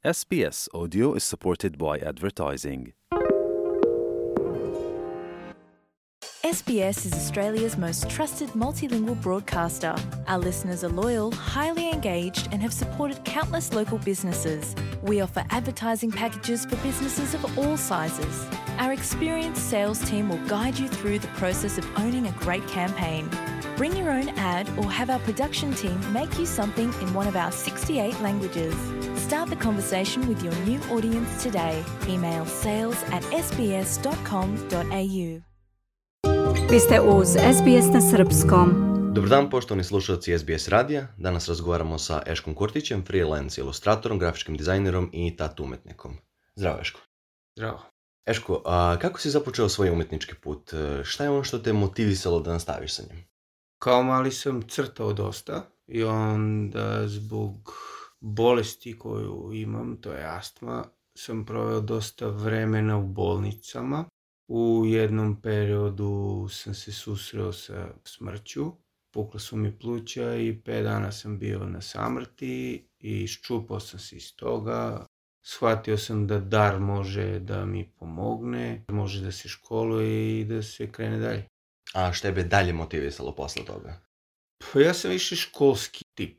SBS Audio is supported by advertising. SBS is Australia's most trusted multilingual broadcaster. Our listeners are loyal, highly engaged, and have supported countless local businesses. We offer advertising packages for businesses of all sizes. Our experienced sales team will guide you through the process of owning a great campaign. Bring your own ad or have our production team make you something in one of our 68 languages. Start the conversation with your new audience today. Email sales@sbs.com.au. Vi ste uz SBS na srpskom. Dobar dan, poštovani slušalci SBS radija. Danas razgovaramo sa Eškom Kurtićem, freelance ilustratorom, grafičkim dizajnerom i tatu umetnikom. Zdravo, Eško. Zdravo. Eško, kako si započeo svoj umetnički put? Šta je ono što te motivisalo da nastaviš sa njim? Kao mali sam crtao dosta i onda zbog bolesti koju imam, to je astma, sam proveo dosta vremena u bolnicama. U jednom periodu sam se susreo sa smrću, pukla su mi pluća i 5 dana sam bio na samrti i iščupao sam se iz toga. Shvatio sam da dar može da mi pomogne, može da se školuje i da se krene dalje. A šta je be dalje motivisalo posle toga? Pa ja sam više školski tip.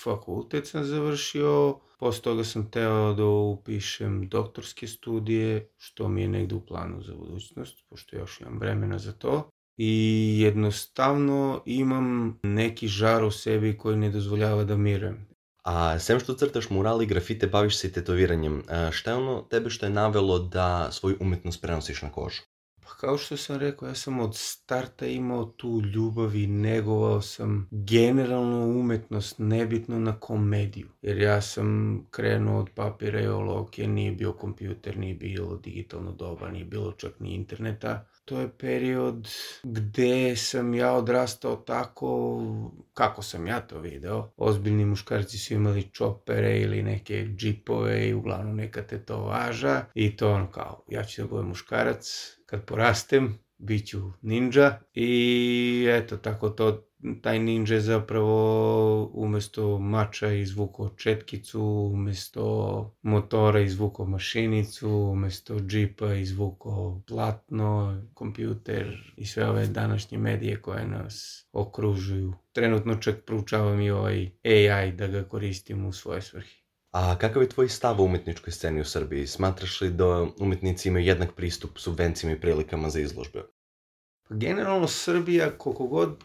Fakultet sam završio, posle toga sam teo da upišem doktorske studije, što mi je negde u planu za budućnost, pošto još imam vremena za to. I jednostavno imam neki žar u sebi koji ne dozvoljava da mirujem. A sem što crtaš murali i grafite, baviš se i tetoviranjem. Šta je ono tebe što je navelo da svoju umetnost prenosiš na kožu? Pa kao što sam rekao, ja sam od starta imao tu ljubav i negovao sam generalno umetnost, nebitno na komediju. Jer ja sam krenuo od papira i olovke, nije bio kompjuter, nije bilo digitalno doba, nije bilo čak ni interneta. To je period gde sam ja odrastao tako kako sam ja to video. Ozbiljni muškarci su imali čopere ili neke džipove i uglavnom neka tetovaža. I to ono kao, ja ću da budem muškarac, kad porastem bit ću ninja. I eto tako to, taj ninja je zapravo umesto mača izvukao četkicu, umesto motora izvukao mašinicu, umesto džipa izvukao platno, kompjuter i sve ove današnje medije koje nas okružuju. Trenutno čak proučavam i ovaj AI da ga koristim u svoje svrhe. A kakav je tvoj stav o umetničkoj sceni u Srbiji? Smatraš li da umetnici imaju jednak pristup subvencijama i prilikama za izložbe? Pa generalno Srbija,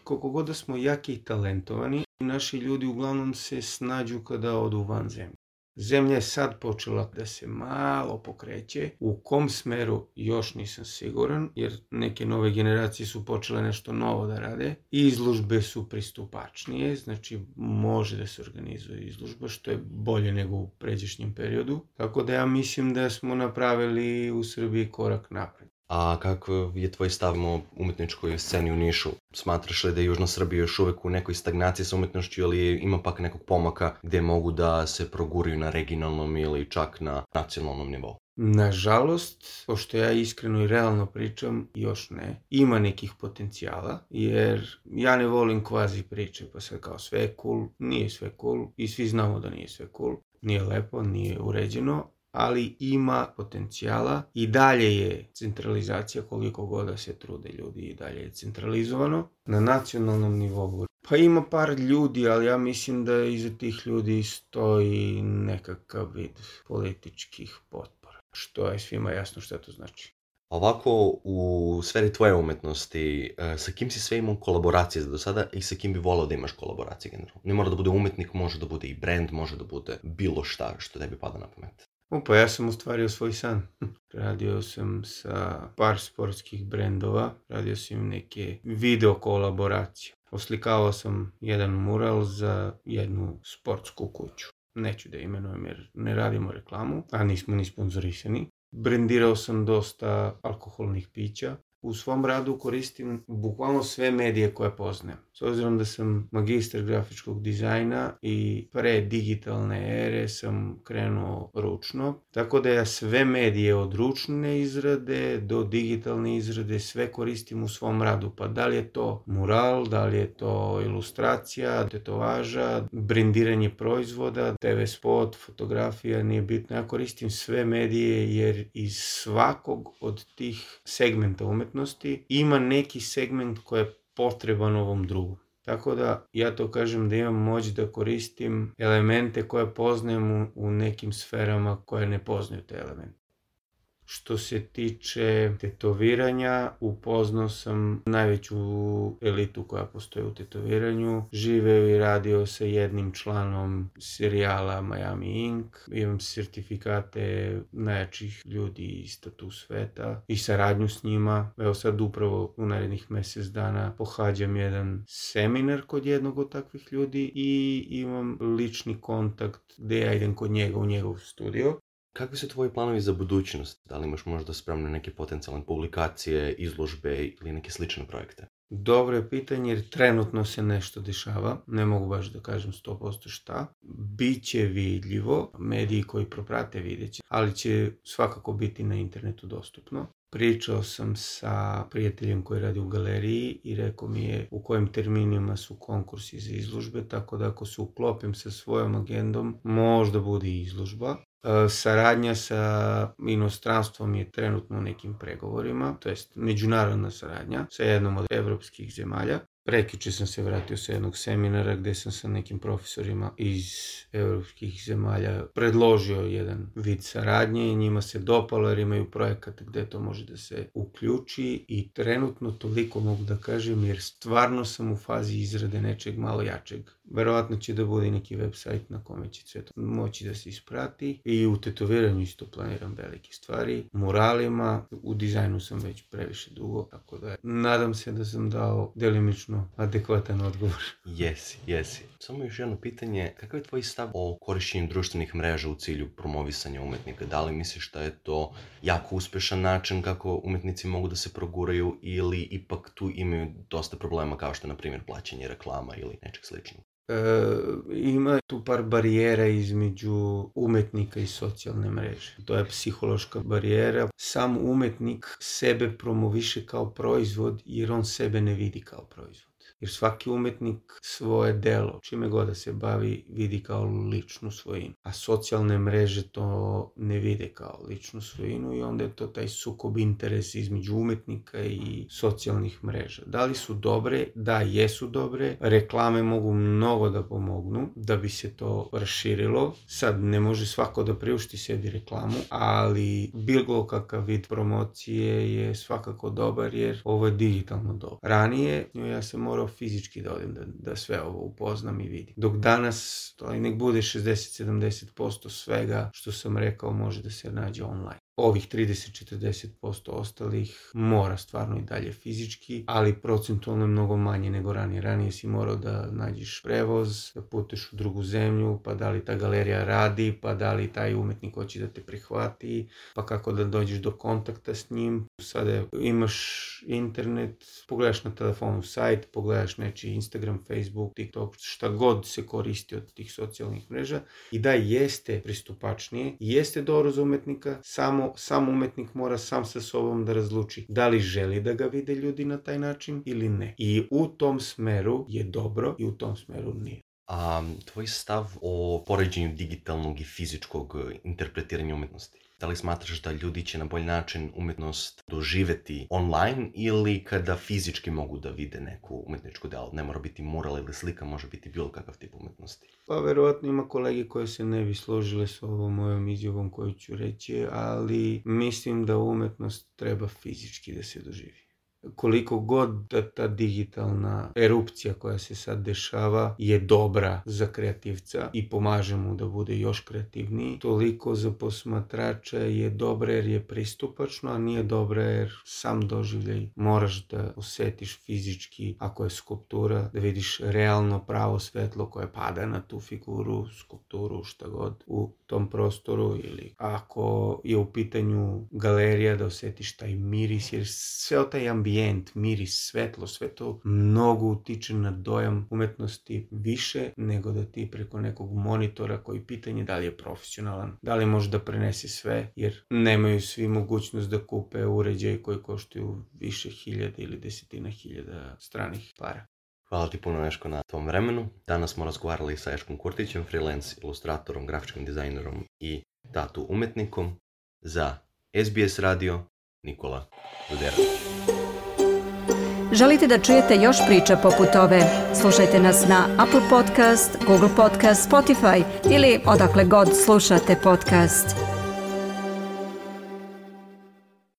koliko god da smo jaki i talentovani, naši ljudi uglavnom se snađu kada odu van zemlje. Zemlja je sad počela da se malo pokreće. U kom smeru još nisam siguran, jer neke nove generacije su počele nešto novo da rade. Izložbe su pristupačnije, znači može da se organizuje izložba, što je bolje nego u pređašnjem periodu. Tako da ja mislim da smo napravili u Srbiji korak napred. A kako je tvoj stav o umetničkoj sceni u Nišu? Smatraš li da je Južna Srbija još uvek u nekoj stagnaciji sa umetnošću ili ima pak nekog pomaka gde mogu da se proguraju na regionalnom ili čak na nacionalnom nivou? Nažalost, pošto ja iskreno i realno pričam, još ne. Ima nekih potencijala, jer ja ne volim kvazi priče, pa sve kao sve je cool, nije sve cool i svi znamo da nije sve cool. Nije lepo, nije uređeno, ali ima potencijala i dalje je centralizacija koliko god da se trude ljudi i dalje je centralizovano na nacionalnom nivou. Pa ima par ljudi, ali ja mislim da iza tih ljudi stoji nekakav vid političkih potpora, što je svima jasno šta to znači. Ovako, u sferi tvoje umetnosti, sa kim si sve imao kolaboracije do sada i sa kim bi volao da imaš kolaboracije generalno? Ne mora da bude umetnik, može da bude i brand, može da bude bilo šta što tebi pada na pamet. Pa ja sam ostvario svoj san. Radio sam sa par sportskih brendova, radio sam neke video kolaboracije. Oslikavao sam jedan mural za jednu sportsku kuću. Neću da imenujem jer ne radimo reklamu, a nismo ni sponzorisani. Brendirao sam dosta alkoholnih pića. U svom radu koristim bukvalno sve medije koje poznajem. S obzirom da sam magistar grafičkog dizajna i pre digitalne ere sam krenuo ručno, tako da ja sve medije od ručne izrade do digitalne izrade sve koristim u svom radu. Pa da li je to mural, da li je to ilustracija, tetovaža, brendiranje proizvoda, TV spot, fotografija, nije bitno. Ja koristim sve medije jer iz svakog od tih segmenta umetnosti ima neki segment koji je potreban ovom drugom. Tako da ja to kažem da imam moć da koristim elemente koje poznajem u nekim sferama koje ne poznaju te elemente. Što se tiče tetoviranja, upoznao sam najveću elitu koja postoji u tetoviranju. Živeo i radio sa jednim članom serijala Miami Ink. Imam sertifikate najjačih ljudi iz tatu sveta i saradnju s njima. Evo sad upravo u narednih mjesec dana pohađam jedan seminar kod jednog od takvih ljudi i imam lični kontakt gdje ja idem kod njega u njegov studio. Kakvi su tvoji planovi za budućnost? Da li imaš možda spremne neke potencijalne publikacije, izložbe ili neke slične projekte? Dobro je pitanje jer trenutno se nešto dešava, ne mogu baš da kažem 100% šta. Biće vidljivo, mediji koji proprate vidjet će, ali će svakako biti na internetu dostupno. Pričao sam sa prijateljem koji radi u galeriji i rekao mi je u kojim terminima su konkursi za izložbe, tako da ako se uklopim sa svojom agendom, možda bude i izložba. Saradnja sa inostranstvom je trenutno u nekim pregovorima, to jest međunarodna saradnja sa jednom od evropskih zemalja. Prekjuče sam se vratio sa jednog seminara gdje sam sa nekim profesorima iz evropskih zemalja predložio jedan vid saradnje i njima se dopalo jer imaju projekat gdje to može da se uključi i trenutno toliko mogu da kažem jer stvarno sam u fazi izrade nečeg malo jačeg. Verovatno će da bude neki website na kome će sve to moći da se isprati i u tetoviranju isto planiram velike stvari. Muralima, u dizajnu sam već previše dugo, tako da nadam se da sam dao delimično adekvatan odgovor. Jesi. Samo još jedno pitanje, kakav je tvoj stav o korišćenju društvenih mreža u cilju promovisanja umetnika? Da li misliš da je to jako uspešan način kako umetnici mogu da se proguraju ili ipak tu imaju dosta problema kao što je na primjer plaćanje reklama ili nečeg sličnog? Ima tu par barijera između umetnika i socijalne mreže. To je psihološka barijera. Sam umetnik sebe promoviše kao proizvod jer on sebe ne vidi kao proizvod. Jer svaki umetnik svoje delo, čime god da se bavi, vidi kao ličnu svojinu. A socijalne mreže to ne vide kao ličnu svojinu i onda je to taj sukob interesa između umetnika i socijalnih mreža. Da li su dobre? Da, jesu dobre. Reklame mogu mnogo da pomognu da bi se to raširilo. Sad ne može svako da priušti sebi reklamu, ali bilo kakav vid promocije je svakako dobar jer ovo je digitalno doba. Ranije ja sam morao fizički da odem da sve ovo upoznam i vidim. Dok danas to i nek bude 60-70% svega što sam rekao može da se nađe online. Ovih 30-40% ostalih mora stvarno i dalje fizički, ali procentualno je mnogo manje nego ranije. Ranije si morao da nađeš prevoz, da puteš u drugu zemlju, pa da li ta galerija radi, pa da li taj umetnik hoće da te prihvati, pa kako da dođeš do kontakta s njim. Sada imaš internet, pogledaš na telefonu sajt, pogledaš nečiji Instagram, Facebook, TikTok, šta god se koristi od tih socijalnih mreža i da jeste pristupačnije, jeste dobro za umetnika, sam umetnik mora sam sa sobom da razluči da li želi da ga vide ljudi na taj način ili ne. I u tom smeru je dobro i u tom smeru nije. A tvoj stav o poređenju digitalnog i fizičkog interpretiranja umetnosti? Da li smatraš da ljudi će na bolji način umetnost doživeti online ili kada fizički mogu da vide neku umetničku delo? Ne mora biti mural ili slika, može biti bilo kakav tip umetnosti. Pa verovatno ima kolege koje se ne bi složile s ovom mojom izjavom koju ću reći, ali mislim da umetnost treba fizički da se doživi. koliko god da ta digitalna erupcija koja se sad dešava je dobra za kreativca i pomaže mu da bude još kreativniji, toliko za posmatrača je dobra jer je pristupačno, a nije dobra jer sam doživljaj moraš da osetiš fizički, ako je skulptura, da vidiš realno pravo svetlo koje pada na tu figuru, skulpturu, šta god u tom prostoru, ili ako je u pitanju galerija da osetiš taj miris, jer sve taj ambijent, miris, svetlo, sve to mnogo utiče na dojam umetnosti više nego da ti preko nekog monitora koji pitanje da li je profesionalan, da li može da prenese sve, jer nemaju svi mogućnost da kupe uređaj koji koštuju više hiljada ili desetina hiljada stranih para. Hvala ti puno, Eško, na tvom vremenu. Danas smo razgovarali sa Eškom Kurtićem, freelance ilustratorom, grafičkim dizajnerom i tatu umetnikom. Za SBS radio, Nikola Ruderović. Želite da čujete još priča poput ove? Slušajte nas na Apple Podcast, Google Podcast, Spotify ili odakle god slušate podcast.